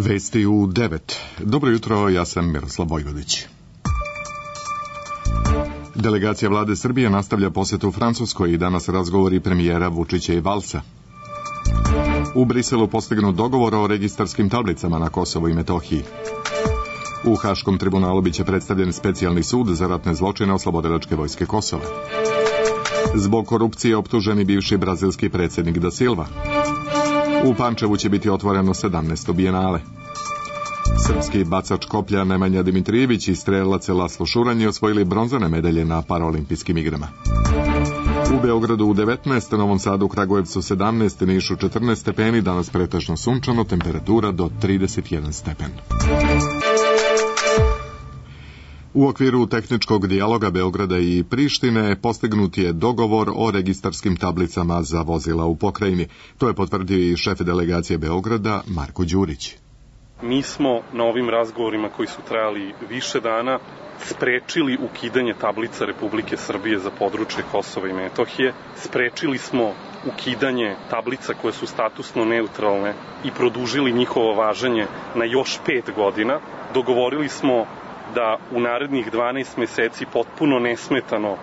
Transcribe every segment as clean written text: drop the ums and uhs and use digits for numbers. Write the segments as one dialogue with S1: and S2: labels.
S1: Vesti u 9. Dobro jutro, ja sam Miroslav Vojvodić. Delegacija vlade Srbije nastavlja posjetu u Francuskoj i danas razgovori premijera Vučića i Valsa. U Briselu postignut dogovor o registarskim tablicama na Kosovu i Metohiji. U Haškom tribunalu biće predstavljen specijalni sud za ratne zločine Oslobodilačke vojske Kosova. Zbog korupcije optuženi bivši brazilski predsjednik Da Silva. U Pančevu će biti otvoreno 17. bijenale. Srpski bacač koplja Nemanja Dimitrijević i strelac Laslo Šuranj osvojili bronzane medalje na paraolimpijskim igrama. U Beogradu u 19, Novom Sadu, Kragujevcu 17, Nišu 14 stepeni, danas pretežno sunčano, temperatura do 31 stepen. U okviru tehničkog dijaloga Beograda i Prištine postignut je dogovor o registarskim tablicama za vozila u pokrajini. To je potvrdio i šef delegacije Beograda Marko Đurić.
S2: Mi smo na ovim razgovorima koji su trajali više dana sprečili ukidanje tablica Republike Srbije za područje Kosova i Metohije. Sprečili smo ukidanje tablica koje su statusno neutralne i produžili njihovo važenje na još 5 godina. Dogovorili smo da u narednih 12 meseci potpuno nesmetano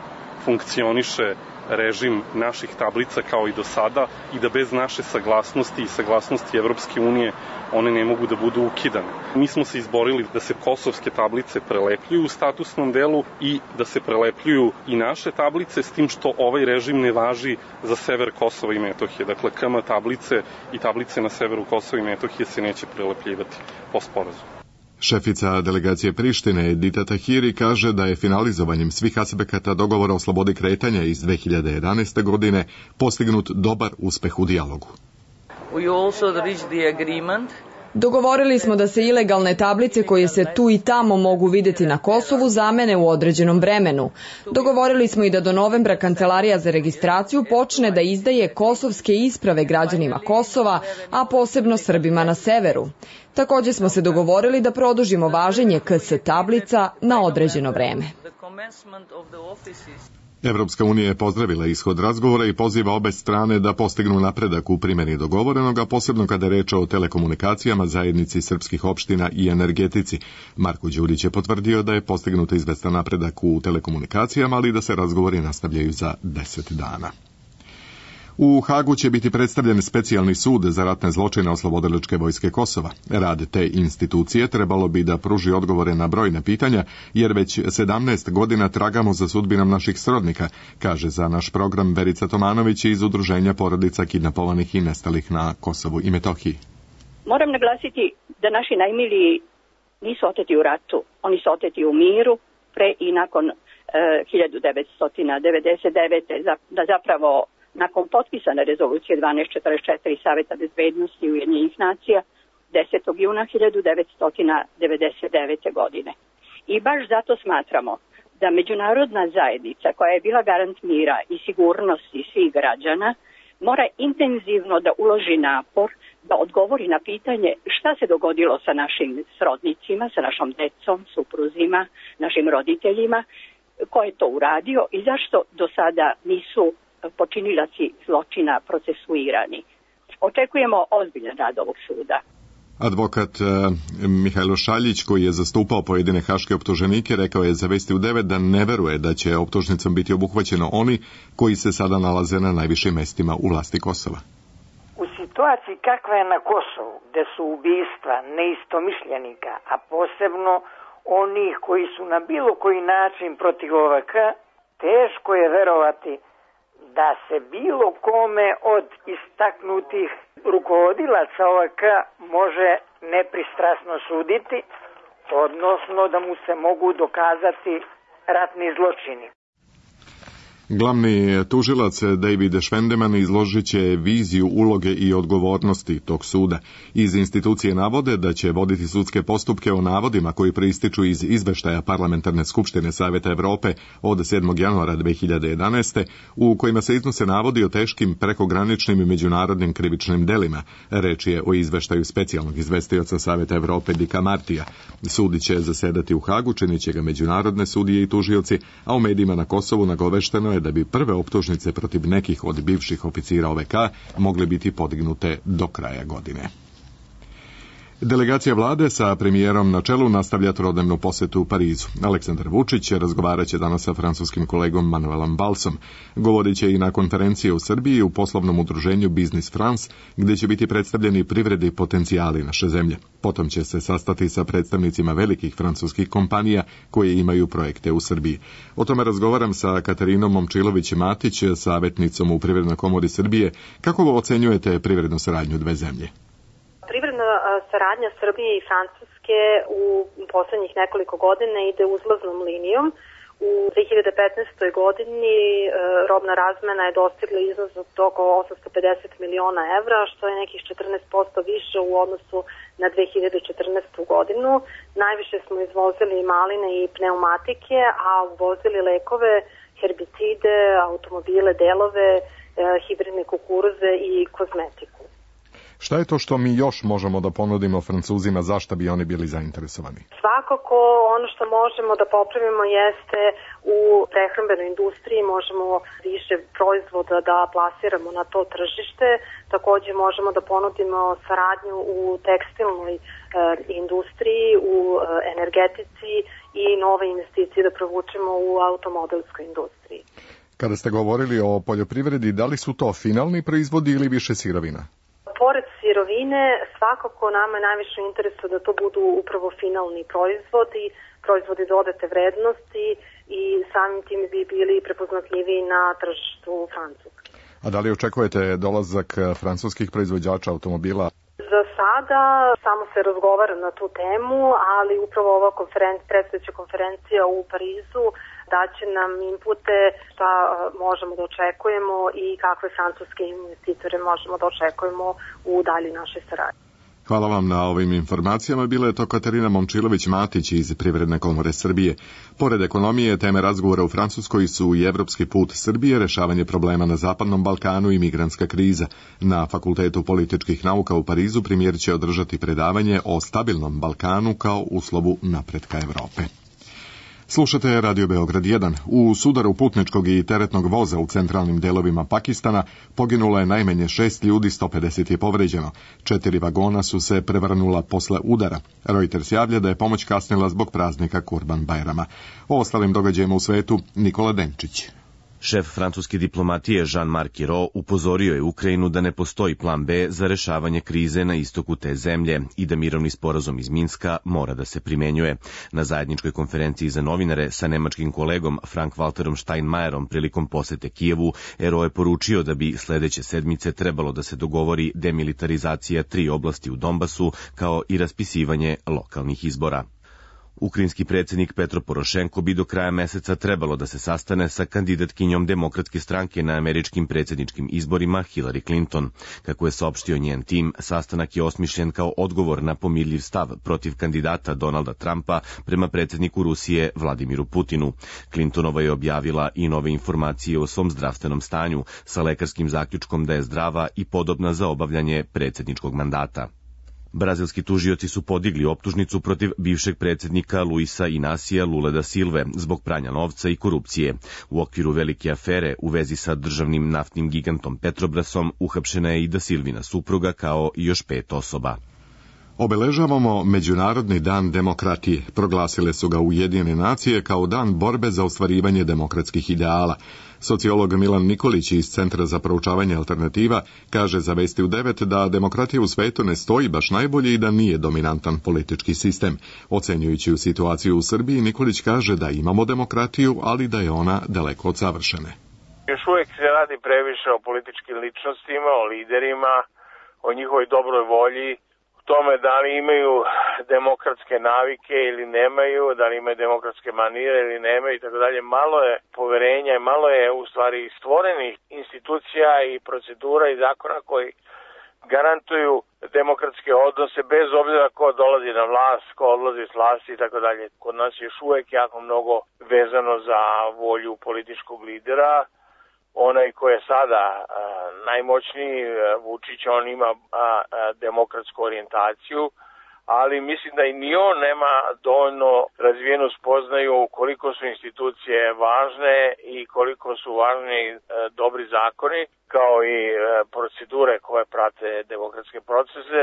S2: funkcioniše režim naših tablica kao i do sada i da bez naše saglasnosti i saglasnosti Evropske unije one ne mogu da budu ukidane. Mi smo se izborili da se kosovske tablice prelepljuju u statusnom delu i da se prelepljuju i naše tablice, s tim što ovaj režim ne važi za sever Kosova i Metohije. Dakle, KM tablice i tablice na severu Kosova i Metohije se neće prelepljivati po sporazumu.
S1: Šefica delegacije Prištine Edita Tahiri kaže da je finalizovanjem svih aspekata dogovora o slobodi kretanja iz 2011. godine postignut dobar uspeh u dijalogu.
S3: Dogovorili smo da se ilegalne tablice koje se tu i tamo mogu vidjeti na Kosovu zamene u određenom vremenu. Dogovorili smo i da do novembra Kancelarija za registraciju počne da izdaje kosovske isprave građanima Kosova, a posebno Srbima na severu. Također smo se dogovorili da produžimo važenje KS tablica na određeno vreme.
S1: Evropska unija je pozdravila ishod razgovora i poziva obe strane da postignu napredak u primjeni dogovorenog, a posebno kada je reč o telekomunikacijama, zajednici srpskih opština i energetici. Marko Đurić je potvrdio da je postignut izvestan napredak u telekomunikacijama, ali da se razgovori nastavljaju za 10 dana. U Hagu će biti predstavljen specijalni sud za ratne zločine Oslobodilačke vojske Kosova. Rad te institucije trebalo bi da pruži odgovore na brojna pitanja, jer već 17 godina tragamo za sudbinom naših srodnika, kaže za naš program Verica Tomanović iz Udruženja porodica kidnapovanih i nestalih na Kosovu i Metohiji.
S4: Moram naglasiti da naši najmiliji nisu oteti u ratu, oni su oteti u miru pre i nakon 1999. da zapravo nakon potpisane rezolucije 1244 Saveta bezbednosti Ujedinjenih nacija 10. juna 1999. godine. I baš zato smatramo da međunarodna zajednica koja je bila garant mira i sigurnosti svih građana mora intenzivno da uloži napor da odgovori na pitanje šta se dogodilo sa našim srodnicima, sa našom decom, supruzima, našim roditeljima, ko je to uradio i zašto do sada nisu počinilaci zločina procesuirani. Očekujemo ozbiljan rad ovog suda.
S1: Advokat Mihajlo Šaljić, koji je zastupao pojedine haške optuženike, rekao je za Vesti u 9 da ne veruje da će optužnicom biti obuhvaćeno oni koji se sada nalaze na najvišim mestima u vlasti Kosova.
S5: U situaciji kakva je na Kosovu, gde su ubistva neistomišljenika, a posebno onih koji su na bilo koji način protiv OVK, teško je verovati da se bilo kome od istaknutih rukovodilaca OVK može nepristrasno suditi, odnosno da mu se mogu dokazati ratni zločini.
S1: Glavni tužilac David Švendeman izložit će viziju uloge i odgovornosti tog suda. Iz institucije navode da će voditi sudske postupke o navodima koji proističu iz izveštaja Parlamentarne skupštine Saveta Evrope od 7. januara 2011. u kojima se iznose navodi o teškim prekograničnim i međunarodnim krivičnim delima. Reč je o izveštaju specijalnog izvestioca Saveta Evrope Dika Martija. Sud će zasedati u Hagu, činit će ga međunarodne sudije i tužioci, a u medijima na Kosovu nagovešteno je da bi prve optužnice protiv nekih od bivših oficira OVK mogle biti podignute do kraja godine. Delegacija vlade sa premijerom na čelu nastavlja trodnevnu posetu u Parizu. Aleksandar Vučić razgovarat će danas sa francuskim kolegom Manuelom Valsom. Govorit će i na konferenciji u Srbiji u poslovnom udruženju Business France, gdje će biti predstavljeni privredni potencijali naše zemlje. Potom će se sastati sa predstavnicima velikih francuskih kompanija koje imaju projekte u Srbiji. O tome razgovaram sa Katarinom Momčilović-Matić, savjetnicom u Privrednoj komori Srbije. Kako ocenjujete privrednu saradnju dve zemlje?
S6: Privredna saradnja Srbije i Francuske u poslednjih nekoliko godina ide uzlaznom linijom. U 2015. godini robna razmena je dostigla iznos od oko 850 miliona evra, što je nekih 14% više u odnosu na 2014. godinu. Najviše smo izvozili maline i pneumatike, a uvozili lekove, herbicide, automobile, delove, hibridne kukuruze i kozmetiku.
S1: Šta je to što mi još možemo da ponudimo Francuzima, zašto bi oni bili zainteresovani?
S6: Svakako ono što možemo da popravimo jeste u prehrambenoj industriji, možemo više proizvoda da plasiramo na to tržište, takođe možemo da ponudimo saradnju u tekstilnoj industriji, u energetici i nove investicije da provučemo u automobilskoj industriji.
S1: Kada ste govorili o poljoprivredi, da li su to finalni proizvodi ili više sirovina?
S6: Pored sirovine, svakako nama je najviše interesu da to budu upravo finalni proizvodi dodate vrednosti i samim tim bi bili prepoznatljiviji na tržištu Francuske.
S1: A da li očekujete dolazak francuskih proizvođača automobila?
S6: Za sada samo se razgovara na tu temu, ali upravo ova predstojeća konferencija u Parizu daće nam inpute šta možemo da očekujemo i kakve francuske investitore možemo da očekujemo u dalji našoj saradnji.
S1: Hvala vam na ovim informacijama. Bila je to Katarina Momčilović-Matić iz Privredne komore Srbije. Pored ekonomije, teme razgovora u Francuskoj su i evropski put Srbije, rešavanje problema na Zapadnom Balkanu i migrantska kriza. Na Fakultetu političkih nauka u Parizu premijer će održati predavanje o stabilnom Balkanu kao uslovu napretka Evrope. Slušate Radio Beograd 1. U sudaru putničkog i teretnog voza u centralnim delovima Pakistana poginulo je najmanje 6 ljudi, 150 je povređeno. 4 vagona su se prevrnula posle udara. Reuters javlja da je pomoć kasnila zbog praznika Kurban Bajrama. O ostalim događajima u svetu Nikola Denčić.
S7: Šef francuske diplomatije Jean-Marc Ayrault upozorio je Ukrajinu da ne postoji plan B za rešavanje krize na istoku te zemlje i da mirovni sporazum iz Minska mora da se primenjuje. Na zajedničkoj konferenciji za novinare sa nemačkim kolegom Frank-Walterom Steinmeierom prilikom posete Kijevu, Ayrault je poručio da bi sledeće sedmice trebalo da se dogovori demilitarizacija 3 oblasti u Donbasu kao i raspisivanje lokalnih izbora. Ukrajinski predsjednik Petro Porošenko bi do kraja meseca trebalo da se sastane sa kandidatkinjom Demokratske stranke na američkim predsjedničkim izborima Hillary Clinton. Kako je saopštio njen tim, sastanak je osmišljen kao odgovor na pomirljiv stav protiv kandidata Donalda Trumpa prema predsjedniku Rusije Vladimiru Putinu. Clintonova je objavila i nove informacije o svom zdravstvenom stanju sa lekarskim zaključkom da je zdrava i podobna za obavljanje predsjedničkog mandata. Brazilski tužioci su podigli optužnicu protiv bivšeg predsjednika Luisa Inacija Lule da Silve zbog pranja novca i korupcije. U okviru velike afere u vezi sa državnim naftnim gigantom Petrobrasom uhapšena je i da Silvina supruga kao i još 5 osoba.
S1: Obeležavamo Međunarodni dan demokratije. Proglasile su ga Ujedinjene nacije kao dan borbe za ostvarivanje demokratskih ideala. Sociolog Milan Nikolić iz Centra za proučavanje alternativa kaže za Vesti u 9 da demokratija u svetu ne stoji baš najbolje i da nije dominantan politički sistem. Ocenjujući u situaciju u Srbiji, Nikolić kaže da imamo demokratiju, ali da je ona daleko od savršene.
S8: Još uvijek se radi previše o političkim ličnostima, o liderima, o njihovoj dobroj volji, tome da li imaju demokratske navike ili nemaju, da li imaju demokratske manire ili nemaju i tako dalje. Malo je poverenja, malo je u stvari stvorenih institucija i procedura i zakona koji garantuju demokratske odnose bez obzira ko dolazi na vlast, ko odlazi s vlasti i tako dalje. Kod nas je još uvek jako mnogo vezano za volju političkog lidera. Onaj ko je sada najmoćniji, Vučić, on ima demokratsku orijentaciju, ali mislim da i ni on nema dovoljno razvijenu spoznaju koliko su institucije važne i koliko su važni dobri zakoni, kao i procedure koje prate demokratske procese.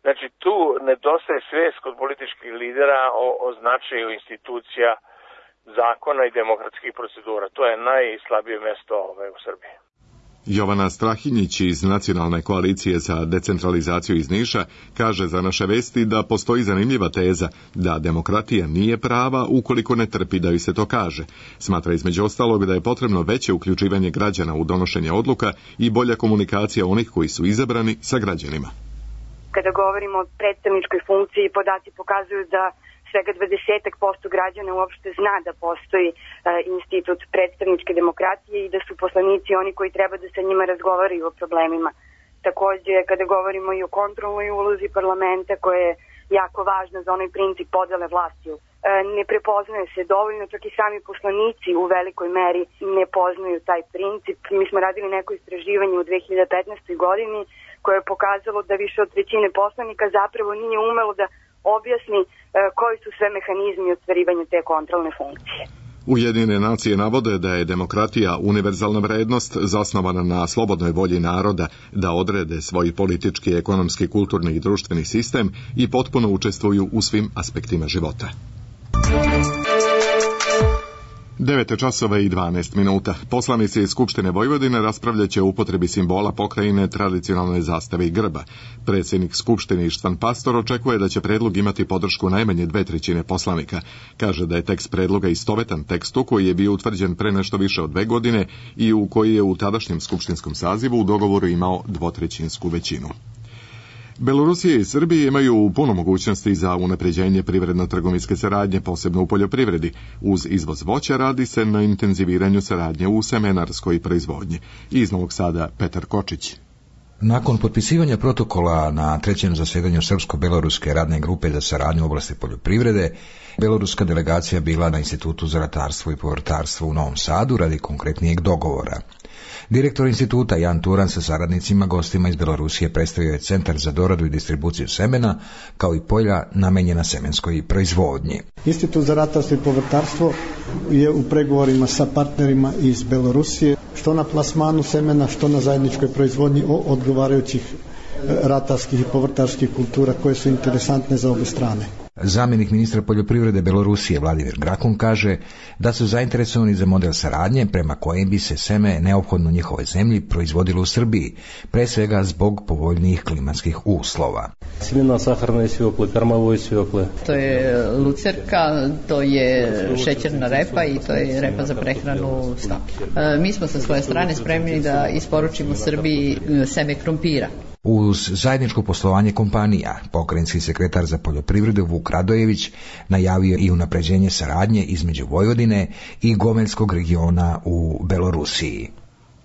S8: Znači tu nedostaje svest kod političkih lidera o značaju institucija, zakona i demokratskih procedura. To je najslabije mesto u Srbiji.
S1: Jovana Strahinjić iz Nacionalne koalicije za decentralizaciju iz Niša kaže za naše vesti da postoji zanimljiva teza da demokratija nije prava ukoliko ne trpi da joj se to kaže. Smatra između ostalog da je potrebno veće uključivanje građana u donošenje odluka i bolja komunikacija onih koji su izabrani sa građanima.
S9: Kada govorimo o predstavničkoj funkciji, podaci pokazuju da svega 20% građana uopšte zna da postoji institut predstavničke demokratije i da su poslanici oni koji treba da sa njima razgovaraju o problemima. Takođe, kada govorimo i o kontrolnoj ulozi parlamenta, koja je jako važna za onaj princip podele vlasti, ne prepoznaje se dovoljno, čak i sami poslanici u velikoj meri ne poznaju taj princip. Mi smo radili neko istraživanje u 2015. godini koje je pokazalo da više od trećine poslanika zapravo nije umelo da objasni koji su sve mehanizmi ostvarivanja te kontrolne funkcije.
S1: Ujedinjene nacije navode da je demokratija univerzalna vrednost zasnovana na slobodnoj volji naroda da odrede svoj politički, ekonomski, kulturni i društveni sistem i potpuno učestvuju u svim aspektima života. 9:12. Poslanici Skupštine Vojvodine raspravljaće o upotrebi simbola pokrajine, tradicionalne zastave i grba. Predsjednik Skupštine Ištvan Pastor očekuje da će predlog imati podršku najmanje 2/3 poslanika. Kaže da je tekst predloga istovetan tekstu koji je bio utvrđen pre nešto više od 2 godine i u koji je u tadašnjem skupštinskom sazivu u dogovoru imao 2/3 većinu. Belorusija i Srbija imaju puno mogućnosti za unapređenje privredno-trgovinske saradnje, posebno u poljoprivredi. Uz izvoz voća radi se na intenziviranju saradnje u semenarskoj proizvodnji. Iz Novog Sada Petar Kočić.
S10: Nakon potpisivanja protokola na 3. zasedanju Srpsko-beloruske radne grupe za saradnju u oblasti poljoprivrede, beloruska delegacija bila na Institutu za ratarstvo i povrtarstvo u Novom Sadu radi konkretnijeg dogovora. Direktor instituta Jan Turan sa saradnicima gostima iz Belorusije predstavio je centar za doradu i distribuciju semena, kao i polja namenjena semenskoj proizvodnji.
S11: Institut za ratarstvo i povrtarstvo je u pregovorima sa partnerima iz Belorusije, što na plasmanu semena, što na zajedničkoj proizvodnji odgovarajućih ratarskih i povrtarskih kultura koje su interesantne za obe strane.
S10: Zamjenik ministra poljoprivrede Belorusije Vladimir Grakun kaže da su zainteresovani za model saradnje prema kojem bi se seme neophodno njihovoj zemlji proizvodilo u Srbiji, pre svega zbog povoljnijih klimatskih uslova.
S12: Semena saharne svekle, karmavoj svekle.
S13: To je lucerka, to je šećerna repa i to je repa za prehranu stoke. Mi smo sa svoje strane spremni da isporučimo Srbiji seme krompira.
S10: Uz zajedničko poslovanje kompanija, pokrajinski sekretar za poljoprivredu Vuk Radojević najavio i unapređenje saradnje između Vojvodine i Gomeljskog regiona u Belorusiji.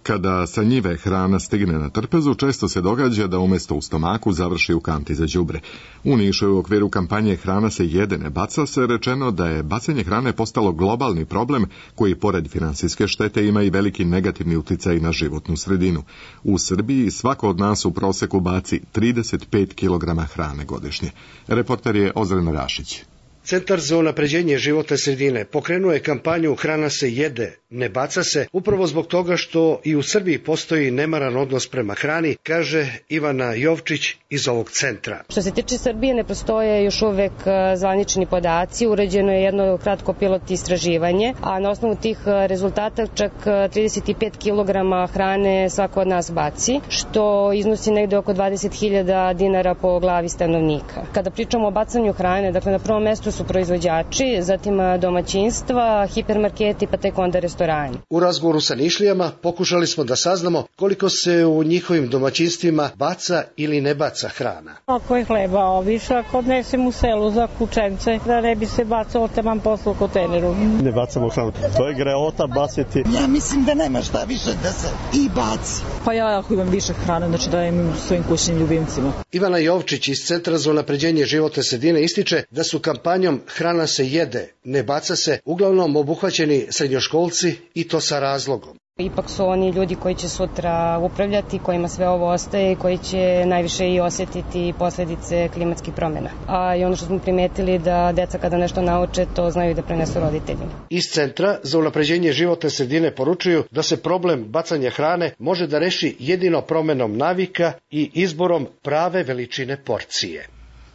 S1: Kada sa njive hrana stigne na trpezu, često se događa da umjesto u stomaku završi u kanti za đubre. U Nišu je u okviru kampanje Hrana se jede, ne baca se rečeno da je bacanje hrane postalo globalni problem koji pored finansijske štete ima i veliki negativni uticaj na životnu sredinu. U Srbiji svako od nas u proseku baci 35 kg hrane godišnje. Reporter je Ozren Rašić.
S14: Centar za unapređenje životne sredine pokrenuo je kampanju Hrana se jede, ne baca se, upravo zbog toga što i u Srbiji postoji nemaran odnos prema hrani, kaže Ivana Jovčić iz ovog centra.
S15: Što se tiče Srbije, ne postoje još uvek zvanični podaci, uređeno je jedno kratko pilot istraživanje, a na osnovu tih rezultata čak 35 kg hrane svako od nas baci, što iznosi negde oko 20.000 dinara po glavi stanovnika. Kada pričamo o bacanju hrane, dakle na prvom mestu su proizvođači, zatim domaćinstva, hipermarketi, pa tek onda restorani.
S14: U razgovoru sa Nišlijama pokušali smo da saznamo koliko se u njihovim domaćinstvima baca ili ne baca hrana.
S16: Ako je hleba više, ako odnesem u selu za kućence, da ne bi se bacalo taman poslu u kontejneru.
S17: Ne bacamo hranu, to je greota baciti.
S18: Ja mislim da nema šta više da se i baci.
S16: Pa ja ako imam više hrane, znači dajem svojim kućnim ljubimcima.
S14: Ivana Jovčić iz Centra za unapređenje životne sredine ističe da su kampanjom Hrana se jede, ne baca se, uglavnom obuhvaćeni srednjoškolci i to sa razlogom.
S15: Ipak su oni ljudi koji će sutra upravljati, kojima sve ovo ostaje i koji će najviše i osjetiti posledice klimatskih promjena. A i ono što smo primetili da deca kada nešto nauče, to znaju da prenesu roditeljima.
S14: Iz Centra za unapređenje životne sredine poručuju da se problem bacanja hrane može da reši jedino promenom navika i izborom prave veličine porcije.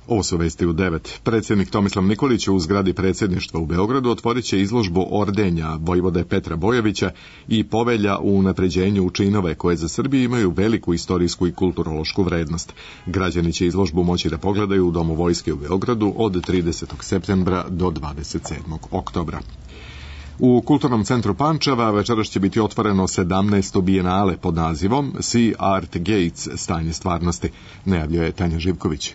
S1: Ovo su vesti u 9. Predsjednik Tomislav Nikolić u zgradi predsjedništva u Beogradu otvorit će izložbu ordenja vojvode Petra Bojovića i povelja u unapređenju činove koje za Srbiju imaju veliku istorijsku i kulturološku vrednost. Građani će izložbu moći da pogledaju u Domu vojske u Beogradu od 30. septembra do 27. oktobra. U Kulturnom centru Pančeva večeras će biti otvoreno 17. bijenale pod nazivom See Art Gates, stanje stvarnosti, najavljuje Tanja Živković.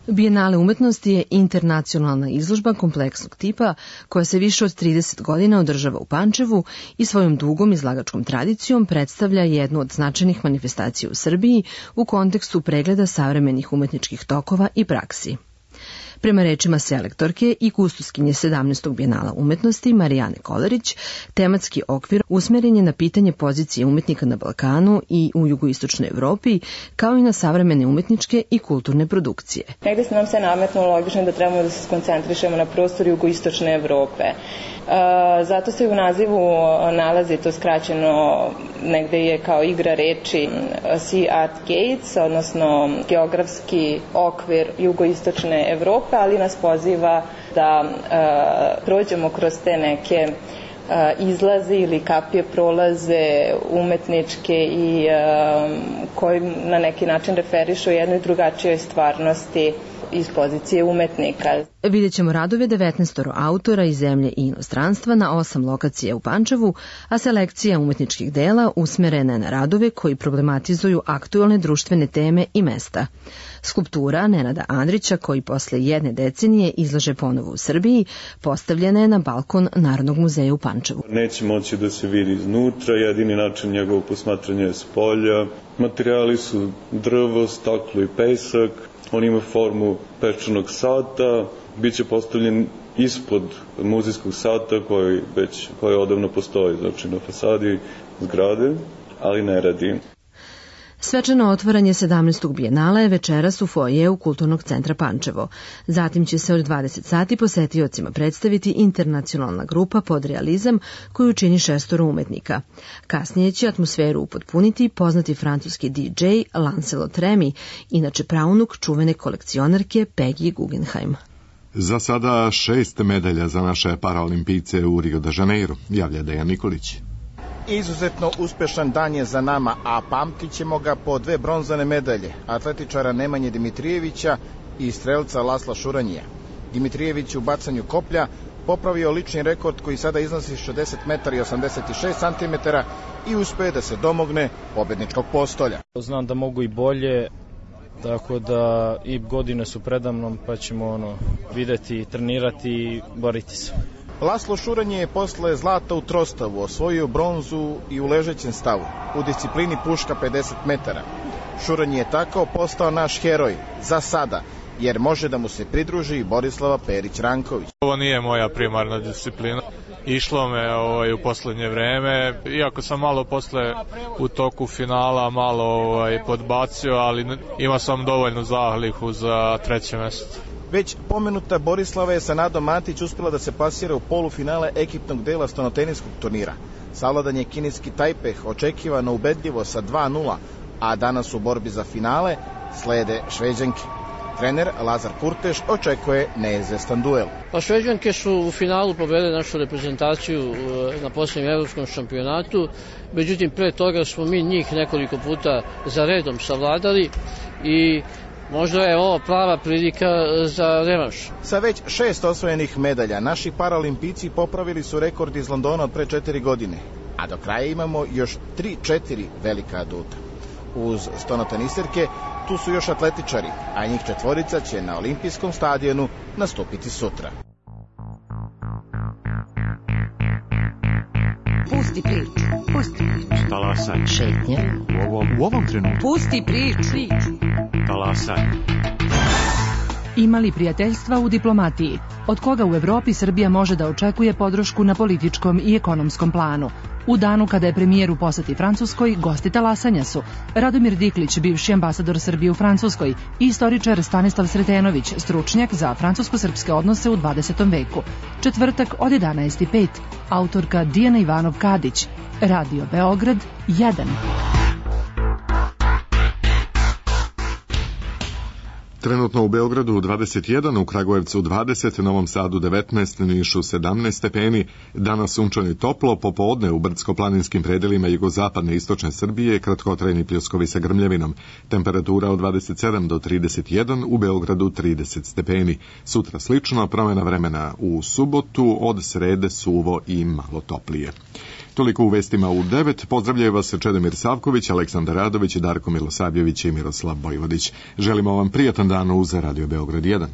S19: Bijenale umetnosti je internacionalna izložba kompleksnog tipa koja se više od 30 godina održava u Pančevu i svojom dugom izlagačkom tradicijom predstavlja jednu od značajnih manifestacija u Srbiji u kontekstu pregleda savremenih umetničkih tokova i praksi. Prema rečima selektorke i kustoskinje 17. bijenala umetnosti Marijane Kolarić, tematski okvir usmeren je na pitanje pozicije umetnika na Balkanu i u jugoistočnoj Evropi, kao i na savremene umetničke i kulturne produkcije.
S20: Negde se nam se nametnulo logično da trebamo da se skoncentrišemo na prostor jugoistočne Evrope. Zato se u nazivu nalazi to skraćeno, negde je kao igra reči Sea Art Gates, odnosno geografski okvir jugoistočne Evrope, ali nas poziva da prođemo kroz te neke izlaze ili kapije prolaze umetničke i koji na neki način referišu jednoj drugačijoj stvarnosti iz pozicije umetnika.
S19: Vidjet ćemo radove 19 autora iz zemlje i inostranstva na 8 lokacija u Pančevu, a selekcija umetničkih dela usmerena je na radove koji problematizuju aktuelne društvene teme i mesta. Skulptura Nenada Andrića, koji posle jedne decenije izlaže ponovo u Srbiji, postavljena je na balkon Narodnog muzeja u Pančevu.
S21: Neće moći da se vidi iznutra, jedini način njegovog posmatranja je s polja. Materijali su drvo, staklo i pesak. On ima formu pečanog sata, bit će postavljen ispod muzejskog sata koji odavno postoji, znači na fasadi zgrade, ali ne radi.
S19: Svečano otvaranje 17. bijenala je večeras u foajeu Kulturnog centra Pančevo. Zatim će se od 20 sati posetiocima predstaviti internacionalna grupa Podrealizam koju čini 6 umetnika. Kasnije će atmosferu upotpuniti poznati francuski DJ Lancelot Remy, inače praunuk čuvene kolekcionarke Peggy Guggenheim.
S1: Za sada 6 medalja za naše paraolimpijce u Rio de Janeiro, javlja Dejan Nikolić.
S22: Izuzetno uspešan dan je za nama, a pamtit ćemo ga po 2 bronzane medalje, atletičara Nemanje Dimitrijevića i strelca Lasla Šuranjija. Dimitrijević u bacanju koplja popravio lični rekord koji sada iznosi 60 metara i 86 centimetara i uspeo da se domogne pobedničkog postolja.
S23: Znam da mogu i bolje, tako da i godine su predamnom, pa ćemo videti, trenirati i boriti se.
S22: Laslo Šuranje je posle zlata u trostavu osvojio bronzu i u ležećem stavu, u disciplini puška 50 metara. Šuranje je tako postao naš heroj, za sada, jer može da mu se pridruži i Borislava Perić-Ranković.
S24: Ovo nije moja primarna disciplina. Išlo me u poslednje vreme, iako sam malo posle u toku finala malo podbacio, ali imao sam dovoljnu zahlihu za 3. mesto.
S22: Već pomenuta Borislava je sa Nadom Matić uspjela da se plasira u polufinale ekipnog dela stonoteniskog turnira. Savladan je kineski Tajpeh očekivano ubedljivo sa 2:0, a danas u borbi za finale slede Šveđanke. Trener Lazar Kurteš očekuje neizvestan duel.
S25: Šveđanke su u finalu pobedile našu reprezentaciju na posljednjem evropskom šampionatu, međutim pre toga smo mi njih nekoliko puta za redom savladali i možda je ovo prava prilika za revanš.
S22: Sa već 6 osvojenih medalja, naši paraolimpijci popravili su rekord iz Londona od pre 4 godine, a do kraja imamo još 3-4 velika aduta. Uz stonoteniserke, tu su još atletičari, a njih 4 će na olimpijskom stadionu nastupiti sutra.
S26: Pusti priču, pusti priču.
S27: Talasaj.
S26: Šetnja.
S27: U ovom trenutku.
S26: Pusti priču.
S27: Talasaj.
S28: Ima li prijateljstva u diplomatiji? Od koga u Evropi Srbija može da očekuje podršku na političkom i ekonomskom planu? U danu kada je premijer u poseti Francuskoj, gosti talasanja su Radomir Diklić, bivši ambasador Srbije u Francuskoj, i istoričar Stanislav Sretenović, stručnjak za francusko-srpske odnose u 20. veku. Četvrtak od 11:05, autorka Dijana Ivanov-Kadić, Radio Beograd 1.
S1: Trenutno u Beogradu 21, u Kragujevcu 20, Novom Sadu 19, Nišu 17 stepeni, danas sunčano i toplo, popodne u brdsko-planinskim predelima jugozapadne i istočne Srbije, kratkotrajni pljuskovi sa grmljavinom, temperatura od 27 do 31, u Beogradu 30 stepeni. Sutra slično, promjena vremena u subotu, od srede suvo i malo toplije. Toliko u vestima u 9. Pozdravljaju vas Čedomir Savković, Aleksandar Radović, Darko Milosavljević i Miroslav Bojvodić. Želimo vam prijatan dan uz Radio Beograd 1.